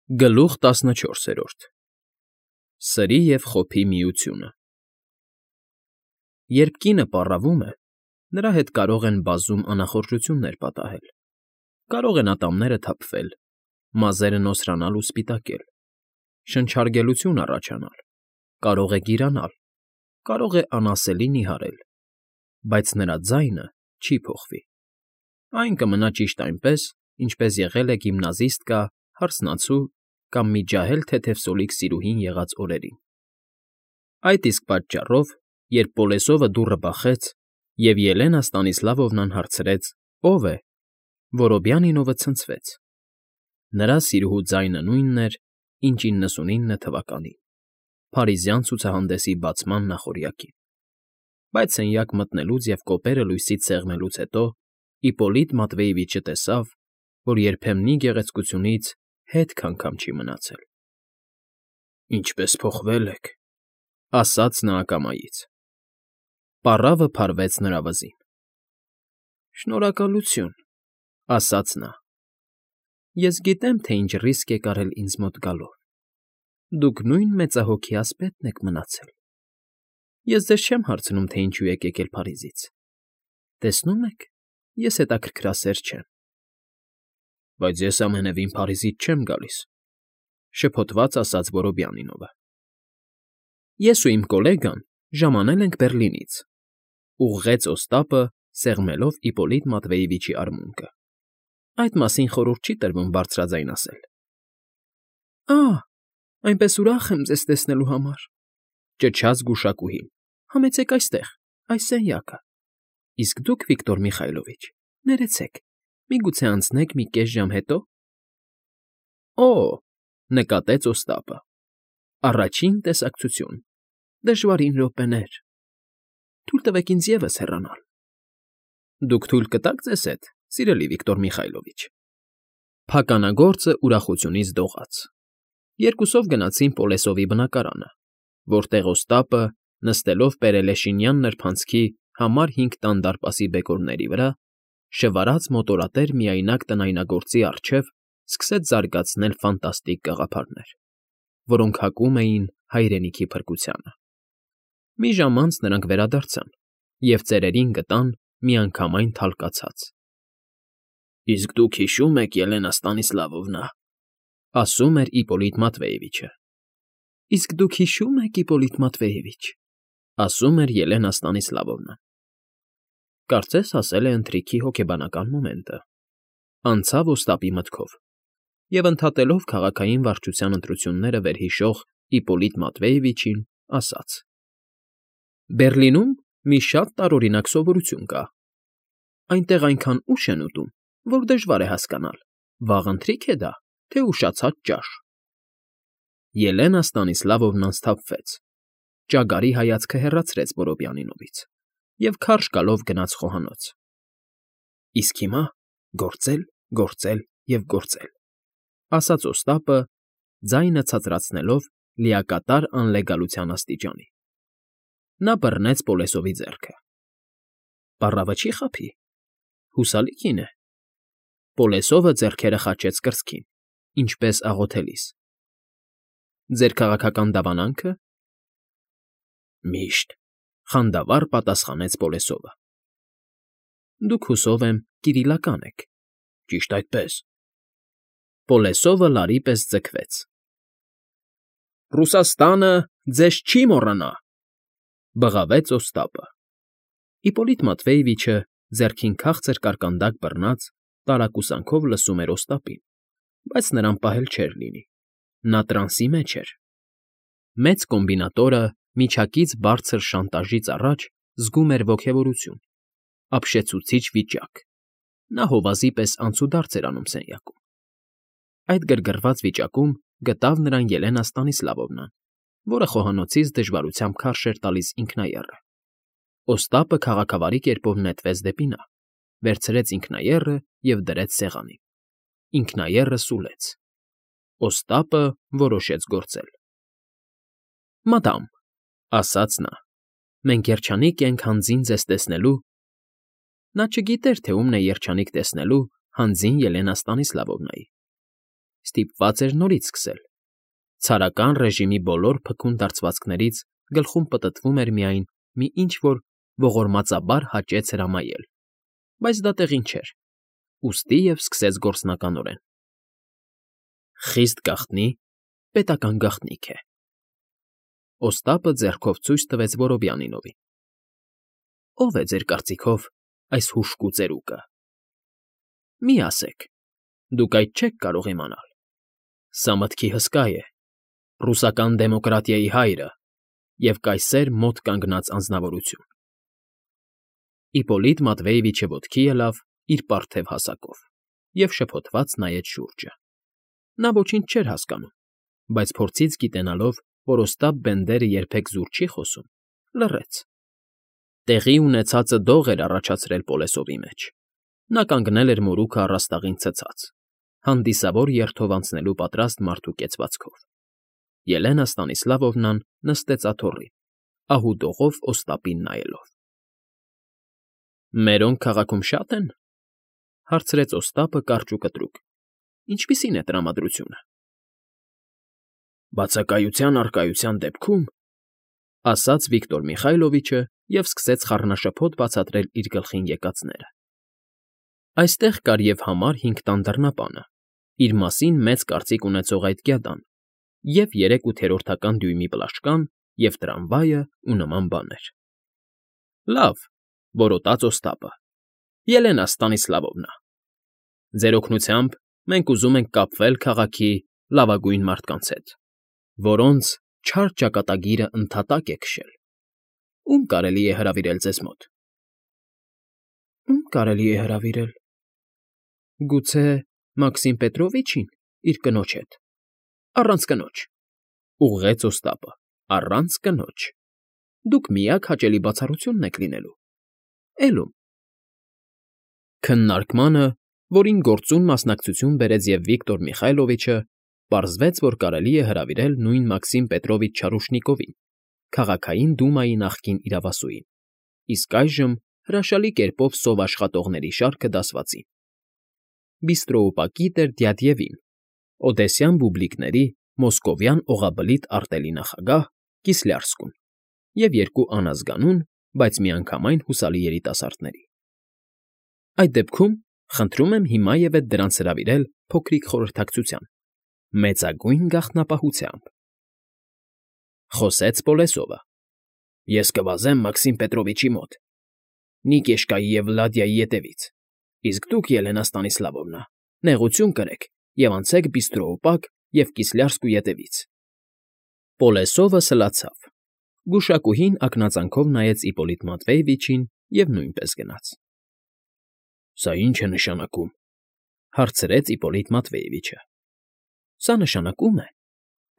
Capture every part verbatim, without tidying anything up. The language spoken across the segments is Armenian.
Գլուխ տասնչորսերորդ Սրի և խոփի միությունը Երբ կինը պառավում է, նրա հետ կարող են բազում անախորժություններ պատահել. կարող են ատամները թափվել, մազերը նոսրանալ ու սպիտակել, շնչարգելություն առաջանալ, կարող է գիրանալ, կարող է անասելի նիհարել, բայց նրա ձայնը չի փոխվի. այն կմնա ճիշտ այնպես, ինչպես եղել է գիմնազիստկա, հարսնացու կամ մի ջահել թեթևսոլիկ սիրուհին եղած օրերին։ Այդ իսկ պատճառով, երբ Պոլեսովը դուռը բախեց, և Ելենա Ստանիսլավովնան հարցրեց. «Ո՞վ է», Որոբյանինովը ցնցվեց. նրա սիրուհու ձայնը նույնն էր, ինչ իննսունինը թվականին, փարիզյան ցուցահանդեսի բացման նախօրյակին։ Բայց սենյակ մտնելուց և կոպերը լույսից սեղմելուց հետո Իպպոլիտ Մատվեևիչը տեսավ, որ երբեմնի գեղեցկությունից հետք անգամ չի մնացել։ «Ինչպե՜ս փոխվել եք», ֊ ասաց նա ակամայից։ Պառավը փարվեց նրա վզին։ «Շնորհակալություն», ֊ ասաց նա։ «Ես գիտեմ, թե ինչ ռիսկ եք արել ինձ մոտ գալով։ Դուք նույն մեծահոգի ասպետն եք մնացել։ Ես ձեզ չեմ հարցնում, թե ինչու եք եկել Փարիզից։ Տեսնում եք, ես հետաքրքրասեր չեմ»։ «Բայց ես ամենևին Փարիզից չեմ գալիս», ֊ շփոթված ասաց Որոբյանինովը։ «Ես ու իմ գոլեգան ժամանել ենք Բեռլինից», ֊ ուղղեց Օստապը, սեղմելով Իպպոլիտ Մատվեևիչի արմունկը։ «Այդ մասին խորհուրդ չի տրվում բարձրաձայն ասել»։ «Ա՜, այնպես ուրախ եմ ձեզ տեսնելու համար», ֊ ճչաց գուշակուհին։ «Համեցեք այստեղ, այս սենյակը։ Իսկ դուք, Վիկտոր Միխայլովիչ, ներեցեք, միգուցե անցնեք մի կես ժամ հետո»։ «Օ՜», նկատեց Օստապը, «առաջին տեսակցություն, դժվարին րոպեներ։ Թույլ տվեք ինձ ևս հեռանալ»։ «Դուք թույլ կտաք ձեզ հետ, սիրելի Վիկտոր Միխայլովիչ»։ Փականագործը ուրախությունից դողաց։ Երկուսով գնացին Պոլեսովի բնակարանը, որտեղ Օստապը, նստելով Պերելեշինյան նրբանցքի համար հինգ տան դարպասի բեկորների վրա, շվարած մոտորատեր միայնակ տնայնագործի առջև սկսեց զարգացնել ֆանտաստիկ գաղափարներ, որոնք հակում էին հայրենիքի փրկությանը։ Մի ժամ անց նրանք վերադարձան և ծերերին գտան միանգամայն թալկացած։ «Իսկ դուք հիշո՞ւմ եք, Ելենա Ստանիսլավովնա», ֊ ասում էր Իպպոլիտ Մատվեևիչը։ «Իսկ դուք հիշո՞ւմ եք, Իպպոլիտ Մատվեևիչ», ֊ ասում էր Ելենա Ստանիսլավովնան։ Կարծես հասել է ընթրիքի հոգեբանական մոմենտը, անցավ Օստապի մտքով, և ընդհատելով քաղաքային վարչության ընտրությունները վերհիշող Իպպոլիտ Մատվեևիչին, ասաց. «Բեռլինում մի շատ տարօրինակ սովորություն կա. այնտեղ այնքան ուշ են ուտում, որ դժվար է հասկանալ՝ վաղ ընթրիք է դա, թե ուշացած ճաշ»։ Ելենա Ստանիսլավովնան սթափվեց, ճագարի հայացքը հեռացրեց Որոբյանինովից և քարշ գալով գնաց խոհանոց։ «Իսկ հիմա գործել, գործել և գործել», ֊ ասաց Օստապը, ձայնը ցածրացնելով լիակատար անլեգալության աստիճանի։ Նա բռնեց Պոլեսովի ձեռքը։ «Պառավը չի՞ խաբի։ Հուսալի կին է»։ Պոլեսովը ձեռքերը խաչեց կրծքին, ինչպես աղոթելիս։ «Ձեր քաղաքական դավանանքը»։ «Միշտ», ֊ խանդավառ պատասխանեց Պոլեսովը։ «Դուք, հուսով եմ, կիրիլական եք, ճիշտ այդպես»։ Պոլեսովը լարի պես ձգվեց։ «Ռուսաստանը ձեզ չի մոռանա», ֊ բղավեց Օստապը։ Իպպոլիտ Մատվեևիչը, ձեռքին քաղցր կարկանդակ բռնած, տարակուսանքով լսում էր Օստապին, բայց նրան պահել չէր լինի. նա տրանսի մեջ էր։ Մեծ կոմբինատորը միջակից բարձր շանտաժից առաջ զգում էր ոգևորություն, ապշեցուցիչ վիճակ. նա հովազի պես անցուդարձ էր անում սենյակում։ Այդ գրգռված վիճակում գտավ նրան Ելենա Ստանիսլավովնան, որը խոհանոցից դժվարությամբ քարշ էր տալիս ինքնաեռը։ Օստապը քաղաքավարի կերպով նետվեց դեպի նա, վերցրեց ինքնաեռը և դրեց սեղանին։ Ինքնաեռը սուլեց։ Օստապը որոշեց գործել։ «Մադամ», ֊ ասաց նա, ֊ «մենք երջանիկ ենք հանձին ձեզ տեսնելու»։ Նա չգիտեր, թե ումն է երջանիկ տեսնելու հանձին Ելենա Ստանիսլավովնայի։ ստիպված էր նորից սկսել. ցարական ռեժիմի բոլոր փքուն դարձվածքներից գլխում պտտվում էր միայն մի ինչ֊որ ողորմածաբար հաճեց հրամայել, բայց դա տեղին չէր, ուստի և սկսեց գործնականորեն. «Խիստ գաղտնի պետական գաղտնիք է»։ Օստապը ձեռքով ցույց տվեց Որոբյանինովին. «Ո՞վ է ձեր կարծիքով այս հուժկու ծերուկը։ Մի ասեք, դուք այդ չեք կարող իմանալ. սա մտքի հսկա է, ռուսական դեմոկրատիայի հայրը և կայսեր մոտ կանգնած անձնավորություն»։ Իպոլիտ Մատվեևիչը ոտքի ելավ իր պարթև հասակով և շփոթված նայեց շուրջը. նա ոչինչ չէր հասկանում, բայց փորձից գիտենալով, որ Օստապ Բենդերը երբեք զուր չի խոսում, լռեց. տեղի ունեցածը դող էր առաջացրել Պոլեսովի մեջ. նա կանգնել էր մորուքը առաստաղին ցցած, հանդիսավոր երթով անցնելու պատրաստ մարդու կեցվածքով. Ելենա Ստանիսլավովնան նստեց աթոռին, ահուդողով Օստապին նայելով։ «Մերոնք քաղաքում շա՞տ են», հարցրեց Օստապը կարճ ու կտրուկ։ «Ինչպիսի՞ն է տրամադրությունը»։ «Բացակայության առկայության դեպքում,» ասաց Վիկտոր Միխայլովիչը և սկսեց խառնաշփոթ բացատրել իր գլխին եկածները։ Այստեղ կար և համար հինգ տան դռնապանը, իր մասին մեծ կարծիք ունեցող այդ գյադան, և երեք ութերորդական դյույմի պլաշկան, և տրամվայը ու նման բաներ։ «Լավ,֊ որոտաց Օստապը,֊ Ելենա Ստանիսլավովնա, ձեր օգնությամբ մենք ուզում ենք կապվել քաղաքի լավագույն մարդկանց հետ, որոնց չար ճակատագիրը ընդհատակ է քշել։ Ո՞ւմ կարելի է հրավիրել ձեզ մոտ»։ «Ո՞ւմ կարելի է հրավիրել, գուցե Մաքսիմ Պետրովիչին իր կնոջ հետ, առանց կնոջ,֊ ուղղեց Օստապը,֊ առանց կնոջ, դուք միակ հաճելի բացառությունն եք լինելու, էլ ո՞ւմ»։ Քննարկմանը, որին գործուն մասնակցություն բերեց և Վիկտոր Միխայլովիչը, պարզվեց, որ կարելի է հրավիրել նույն Մաքսիմ Պետրովիչ Չարուշնիկովին, քաղաքային դումայի նախկին իրավասուին, իսկ այժմ հրաշալի կերպով սով աշխատողների շարքը դասվածին։ Բիստրոուպակի տեր Դյադևին, օդեսյան բուբլիկների մոսկովյան օղաբլիթ արտելի նախագահ Կիսլյարսկուն և երկու անազգանուն, բայց միանգամայն հուսալի երիտասարդների։ «Այդ դեպքում խնդրում եմ հիմայևեթ դրանց հրավիրել փոքրիկ խորհրդակցության, մեծագույն գաղտնապահությամբ»,֊ խոսեց Պոլեսովը։ «Ես կվազեմ Մաքսիմ Պետրովիչի մոտ, Նիկեշկայի և Վլադիայի ետևից, իսկ դուք, Ելենա Ստանիսլավովնա, նեղություն կրեք և անցեք Բիստրոուպակ և Կիսլյարսկու ետևից»։ Պոլեսովը սլացավ, գուշակուհին ակնածանքով նայեց Իպոլիտ Մատվեևիչին և նույնպես գնաց։ «Սա ի՞նչ է նշանակում,֊ հարցրեց Իպոլիտ Մատվեևիչը։ «Սա նշանակում է,֊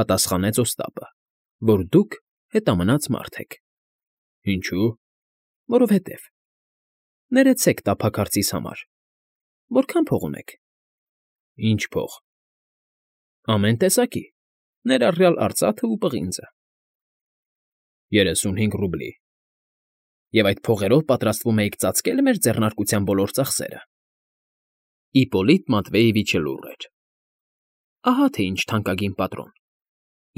պատասխանեց Օստապը,֊ որ դուք հետամնաց մարդ եք»։ «Ինչո՞ւ»։ «Որովհետև։ Ներեցեք տափակարծիս համար, որքա՞ն փող ունեք»։ «Ի՞նչ փող»։ «Ամեն տեսակի, ներառյալ արծաթն ու պղինձը»։ «Երեսունհինգ ռուբլի»։ «Եվ այդ փողերով պատրաստվում էիք ծածկե՞լ մեր ձեռնարկության բոլոր ծախսերը»։ Իպոլիտ Մատվեևիչը լուռ էր։ «Ահա թե ինչ թանկագին պատրոն,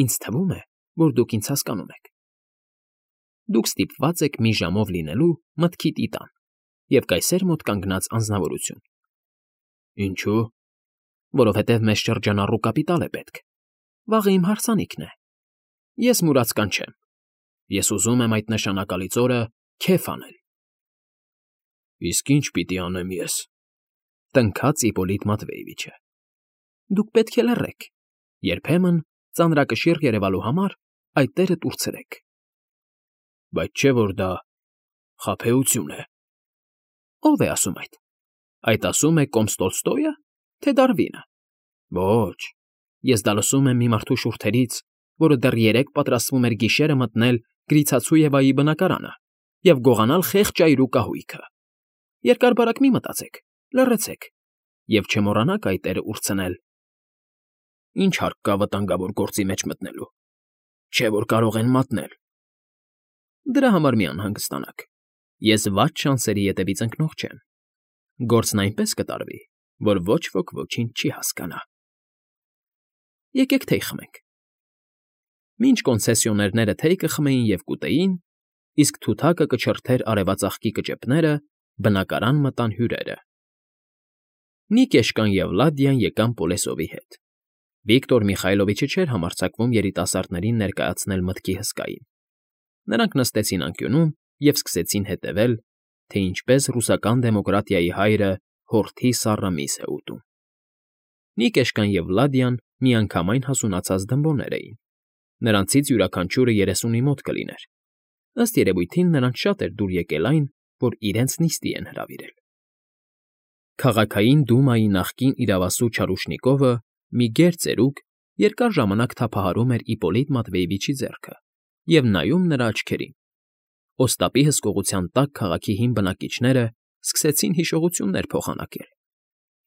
ինձ թվում է, որ դուք ինձ հասկանում եք։ Դուք ստիպված եք մի ժամով լինելու մտքի տիտան և կայսեր մոտ կանգնած անձնավորություն։ Ինչո՞ւ։ Որովհետև մեզ շրջանառու կապիտալ է պետք, վաղը իմ հարսանիքն է։ Ես մուրացկան չեմ, ես ուզում եմ այդ նշանակալից օրը քեֆ անել»։ «Իսկ ի՞նչ պիտի անեմ ես,֊ տնքաց Իպոլիտ Մատվեևիչը։ «Դուք պետք է լռեք, երբեմն, ծանրակշիռ երևալու համար, այդ տերը տուր ցրեք»։ «Բայց չէ՞ որ դա խաբեություն է»։ «Ո՞վ է ասում այդ։ Այդ ասում է կոմս Տոլստոյը, թե Դարվինը։ Ոչ, ես դա լսում եմ մի մարդու շուրթերից, որը դեռ երեկ պատրաստվում էր գիշերը մտնել Գրիցացույևայի բնակարանը և գողանալ խեղճ այրու կահույքը։ Երկար֊բարակ մի մտածեք, լռեցեք և չմոռանաք այդ տերը ուր ցնել»։ «Ինչ հարկ կա վտանգավոր գործի մեջ մտնելու, չէ՞ որ կարող են մատնել»։ «Դրա համար մի անհանգստանաք, ես վատ շանսերի ետևից ընկնող չեմ։ Գործն այնպես կտարվի, որ ոչ ոք ոչինչ չի հասկանա»։ եկեք թեյ խմենք։ Մինչ կոնցեսիոներները թեյ կխմեին և կուտեին, իսկ թութակը կչրթեր արևածաղկի կճեպները, բնակարան մտան հյուրերը։ Նիկեշկան և Լադիան եկան Պոլեսովի հետ։ Վիկտոր Միխայլովիչը չէր համարձակվում երիտասարդներին ներկայացնել մտքի հսկային։ Նրանք նստեցին անկյունում և սկսեցին հետևել, թե ինչպես ռուսական դեմոկրատիայի հայրը հորթի սառը միս է ուտում։ Նիկեշկան և Լադիան միանգամայն հասունացած դմբոներ էին։ Նրանցից յուրաքանչյուրը երեսունի մոտ կլիներ։ Ըստ երևույթին նրանց շատ էր դուր եկել այն, որ իրենց նիստի են հրավիրել։ Քաղաքային դումայի նախկին իրավասու Չարուշնիկովը, մի գեր ծերուկ, երկար ժամանակ թափահարում էր Իպոլիտ Մատվեևիչի ձեռքը և նայում նրա աչքերին։ Օստապի հսկողության տակ քաղաքի հին բնակիչները սկսեցին հիշողություններ փոխանակել։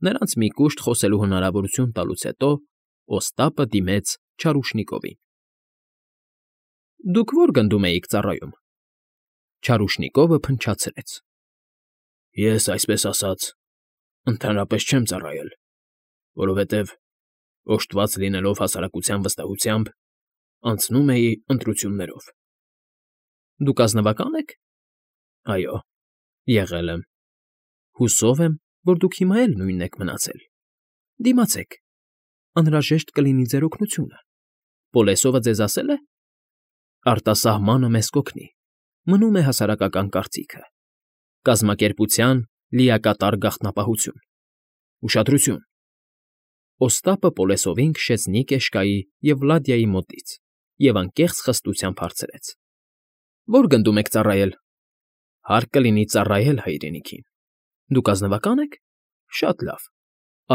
Նրանց մի կուշտ խոսելու հնարավորություն տալուց հետո Օստապը դիմեց Չարուշնիկովին։ Դուք ո՞ր գնդում էիք ծառայում։ Չարուշնիկովը փնչացրեց։ Ես, այսպես ասած, ընդհանրապես չեմ ծառայել, որովհետև, օժտված լինելով հասարակության վստահությամբ, անցնում էի ընտրություններով։ Դուք ազնվակա՞ն եք։ Այո, եղել եմ։ Հուսով եմ, որ դուք հիմա էլ նույնն եք մնացել։ Դիմացեք, անհրաժեշտ կլինի ձեր օգնությունը։ Պոլեսովը ձեզ ասել է։ Արտասահմանը մեզ կօգնի, մնում է հասարակական կարծիքը։ Կազմակերպության լիակատար գաղտնապահություն։ Ուշադրություն։ Օստապը Պոլեսովին քշեց Նիկեշկայի և Վլադիայի մոտից և անկեղծ խստությամբ հարցրեց. Ո՞ր գնդում եք ծառայել։ Հարկ կլինի ծառայել հայրենիքին։ Դուք ազնվակա՞ն եք։ Շատ լավ։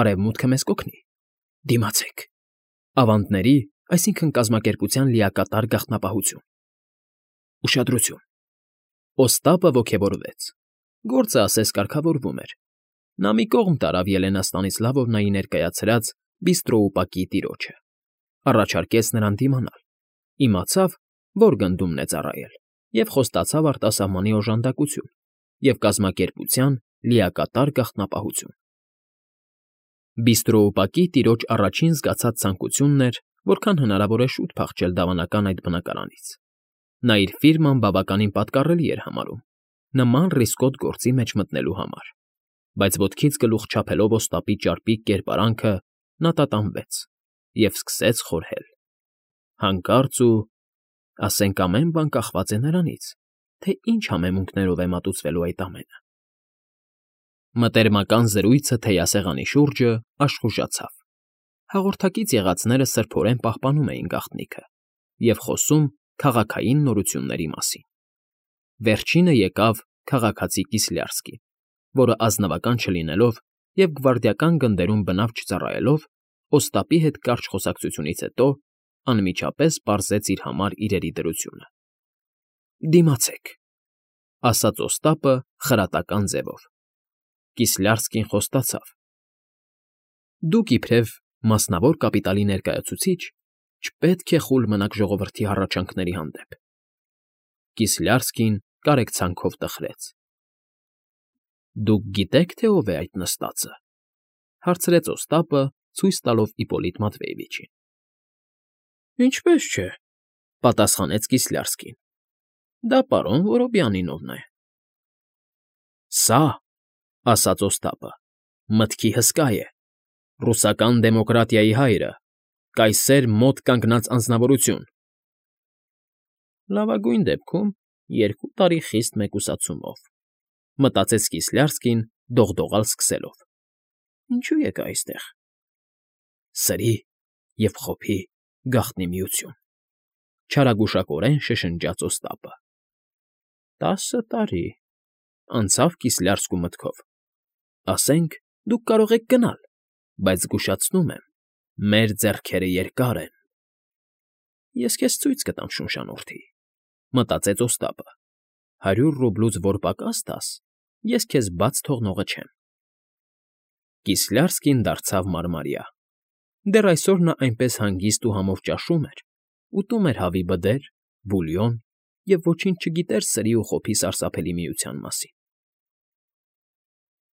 Արևմուտքը մեզ կօգնի։ Դիմացեք։ Ավանդների, այսինքն կազմակերպության լիակատար գաղտնապահություն։ Ուշադրություն։ Օստապը ոգևորվեց։ Գործը ասես կարգավորվում էր։ Նա մի կողմ տարավ Ելենա Ստանիսլավովնայի ներկայացրած բիստրոուպակի տիրոջը, առաջարկեց նրան դիմանալ, իմացավ, որ գնդումն է ծառայել, և խոստացավ արտասահմանի օժանդակություն և կազմակերպության լիակատար գաղտնապահություն։ Բիստրոուպակի տիրոջ առաջին զգացած ցանկությունն էր, որքան հնարավոր է շուտ փախչել դավանական այդ բնակարանից։ Նա իր ֆիրման բավականին պատկառելի էր համարում նման ռիսկոտ գործի մեջ մտնելու համար, բայց ոտքից գլուխ չափելով Օստապի ճարպիկ կերպարանքը, նա տատանվեց և սկսեց խորհել։ Հանկարծ ու, ասենք, ամեն բան կախված է նրանից, թե ինչ համեմունքներով է մատուցվելու այդ ամենը։ Մտերմական զրույցը թեյասեղանի շուրջը աշխուժացավ։ Հաղորդակից եղածները սրբորեն պահպանում էին գաղտնիքը և խոսում քաղաքային նորությունների մասին։ Վերջինը եկավ քաղաքացի Կիսլյարսկին, որը ազնվական չլինելով և գվարդիական գնդերում բնավ չծառայելով, Օստապի հետ կարճ խոսակցությունից հետո անմիջապես պարզեց իր համար իրերի դրությունը։ Դիմացեք, ասաց Օստապը խրատական ձևով։ Կիսլյարսկին խոստացավ. Դուք իբրև մասնավոր կապիտալի ներկայացուցիչ չպետք է խուլ մնաք ժողովրդի հառաչանքների հանդեպ։ Կիսլյարսկին կարեկցանքով տխրեց։ Դուք գիտեք, թե ով է այդ նստածը, հարցրեց Օստապը, ցույց տալով Իպոլիտ Մատվեևիչին։ Ինչպես չէ, պատասխանեց Կիսլյարսկին։ Դա պարոն Որոբյանինովն է։ Սա, ասաց Օստապը, մտքի հսկա է, ռուսական դեմոկրատիայի հայրը, կայսեր մոտ կանգնած անձնավորություն։ Լավագույն դեպքում երկու տարի խիստ մեկուսացումով, մտածեց Կիսլյարսկին, դողդողալ սկսելով։ Ինչու եկա այստեղ։ Սրի և խոփի գաղտնի միություն, չարագուշակորեն շշնջաց Օստապը։ Տասը տարի, անցավ Կիսլյարսկու մտքով։ Ասենք, դուք կարող եք գնալ, բայց զգուշացնում եմ, մեր ձեռքերը երկար են։ Ես քեզ ցույց կտամ, շունշանորդի, մտածեց Օստապը։ Հարյուր ռուբլուց որ պակաս տաս, ես քեզ բաց թողնողը չեմ։ Կիսլյարսկին դարձավ մարմարյա։ Դեռ այսօր նա այնպես հանգիստ ու համով ճաշում էր, ուտում էր հավի բդեր, բուլյոն և ոչինչ չգիտեր սրի ու խոփի սարսափելի միության մասին։